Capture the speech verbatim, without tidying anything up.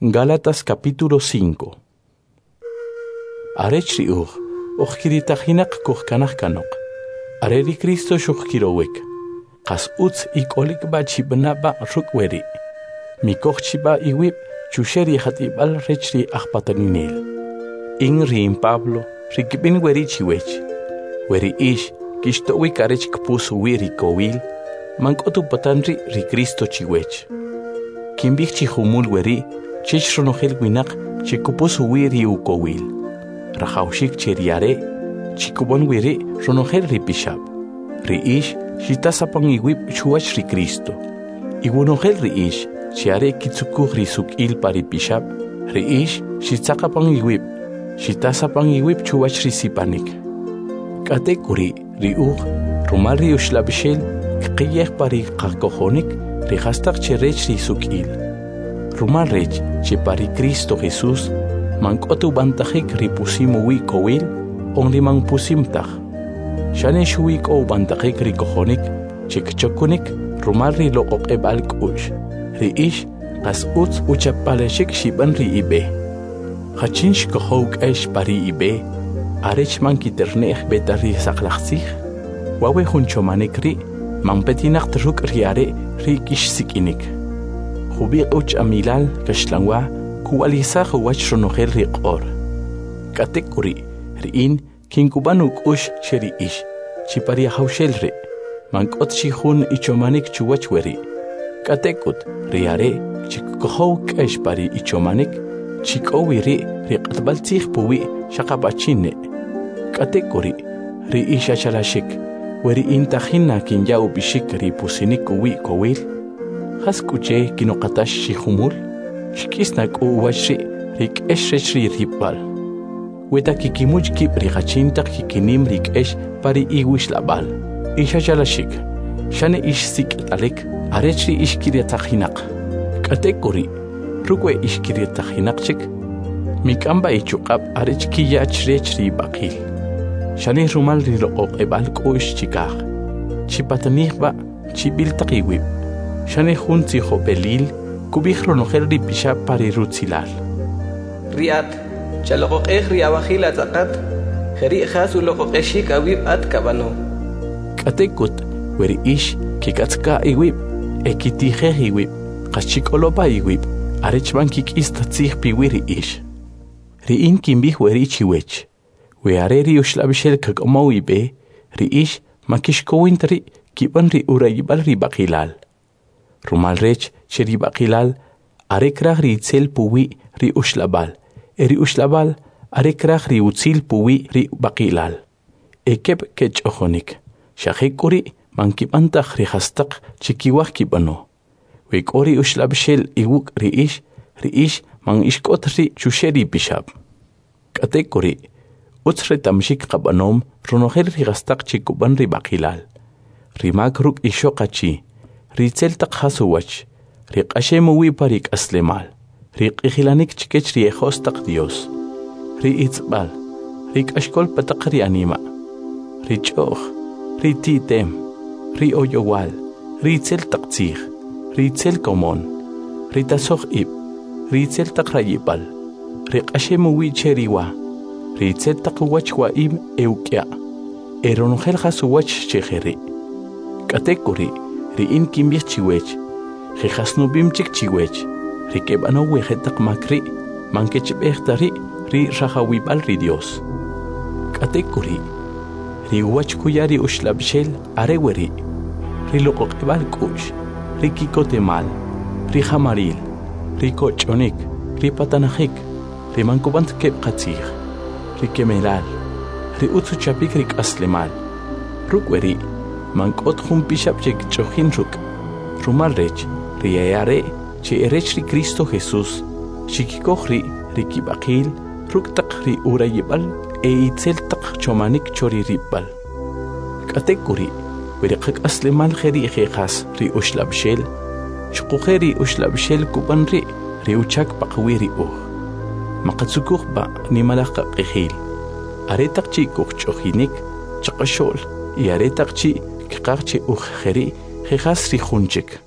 Gálatas capítulo cinco. Arech ri uj, uj kiritajinaq kujkanaj kanoq. Are ri Cristo xujkirowik. Qas utz ik'olik b'a chib'ana b'a ruk' weri'. Mikoj chib'a iwib' chuxe' ri jat'ib'al rech ri ajpataninel. In ri in Pablo, ri kib'in weri' chiwech. Weri ix, kixto'wik arech kpus uwi' ri kowil, man k'ot upatan ri' ri Cristo chiwech. Kinb'ij chi jumul weri' chech ronojel winaq che kupus uwi' ri ukowil. Rajawxik che ri are' chikub'an wiri' ronojel ri pixab'. Ri ix xitasapan iwib' chuwach ri Cristo. Iwonojel ri ix che are kitzukuj ri suk'il pa ri pixab', ri ix xitzaqapan iwib', xitasapan iwib' chuwach ri sipanik. K'atek'uri' ri uj, rumal ri uxlab'ixel, kqiyej pa ri qakojonik ri jastaq che rech ri suk'il. Rumal rech che pa ri Cristo Jesús man k'ot ub'antajik ri pusim uwi' kowil on ri man pusim taj. Xane xuwi k'o ub'antajik ri kojonik che kchokunik rumal ri loq'oq'eb'al k'u'x. Ri ix qas utz uchapalexik xib'an ri ib'e. Jachin xkojow k'ex pa ri ib'e arech man kiterne'j b'eta ri saqlaj tzij. Wawe jun chomanik ri' man petinaq ruk' ri are' ri kixsik'inik. Jubiq' uch'amilal kaxlanwa kuwalisaj uwach ronojel ri q'or. K'atek'uri' ri in kinkub'an uk'ux che ri ix, chi pa ri ajawxel ri', man k'ot chi jun ichomanik chuwach weri'. K'atek'ut ri are' chi kukojow k'ex pa ri ichomanik, chi k'o wi ri' ri q'atb'al tzij puwi' xaqab'achin ne'. K'atek'uri' ri ix achalaxik, we ri in tajin na kinya ub'ixik ri pusinik uwi' kowil, jas k'u che kinoqatax chi jumul? Xk'is na k'u uwach ri' ri k'ex rech ri ripb'al. Weta kikimuch kib' ri jachin taq kikinim ri k'ex pa ri iwixlab'al. Ix achalaxik, xane ix sik'italik arech ri ix kiritajinaq. K'atek'uri', ruk' we ix kiritajinaq chik, mik'am b'a ichuq'ab' arech kiya chrech ri ib'aqil. Xane rumal ri loq'oq'eb'al k'u'x chikaj. Chipatanij b'a chib'il taq iwib'. Xane jun tzijob'elil kub'ij ronojel ri pixab' pa ri rutzilal. Ri at, chaloq'oq'ej ri awajil atz'aqat, jeri' jas uloq'oq'exik awib' at kab'ano. K'atek'ut we ri ix kik'atzka iwib' e kitijej iwib', qas chik'oloba iwib' arech man kik'is ta tzij piwi' ri ix. Ri in kinb'ij weri' chiwech, we are ri uxlab'ixel kak'omow ib'e, ri ix man kixkowin ta ri' kib'an ri urayib'al ri b'aqilal. Rumal rech che ri b'aqilal are kraj ri itzel puwi' ri uxlab'al, e ri uxlab'al are kraj ri utzil puwi' ri b'aqilal. E keb' kech'ojonik, xa jek'uri' man kib'an taj ri jastaq che kiwaj kib'ano. We k'o ri uxlab'ixel iwuk' ri ix, ri ix man ix k'ot ri' chuxe' ri pixab'. K'atek'uri', utz reta'mxik qab'anom ronojel ri jastaq che kub'an ri b'aqilal. Ri mak ruk' ixoq achi, ri itzel taq jas uwach, ri q'axem uwi' pa ri k'aslemal, ri q'ijilanik chikech ri ejos taq Dios, ri itzb'al, ri k'axk'ol pa taq ri anima', ri ch'o'j, ri ti'tem, ri oyowal, ri itzel taq tzij, ri itzel komon, ri tasoj ib', ri itzel taq rayib'al, ri q'axem uwi' che ri wa, ri itzel taq uwach wa'im e uk'ya', e ronojel jas uwach che jeri'. K'atek'uri' ri in kinb'ij chiwech, je jasnub'im chik chiwech, ri keb'anow we jetaq mak ri' man kechb'ej ta ri' ri rajawib'al ri Dios. K'atek'uri', ri uwach kuya ri uxlab'ixel are weri', ri loq'oq'eb'al k'u'x, ri kikotemal, ri jamaril, ri koch'onik, ri patanajik, ri man kub'an ta keb' qatzij, ri kemelal, ri utz uchapik ri k'aslemal. Ruk' weri' man k'ot jun pixab' che kch'ojin ruk'. Rumal rech, ri e are' che e rech ri Cristo Jesús, xikikoj ri' ri kib'aqil ruk' taq ri urayib'al e itzel taq chomanik cho ri rib'al. K'atek'uri', we ri qak'aslemal jeri' jejas ri uxlab'ixel, xuquje' ri uxlab'ixel kub'an ri' ri uchak paqawi' ri uj. Maqatzukuj b'a nimalaj qaq'ijil. Are taq chi' kujch'ojinik chaqaxo'l y are taq chi' kqaj che uj jeri' jejas ri jun chik.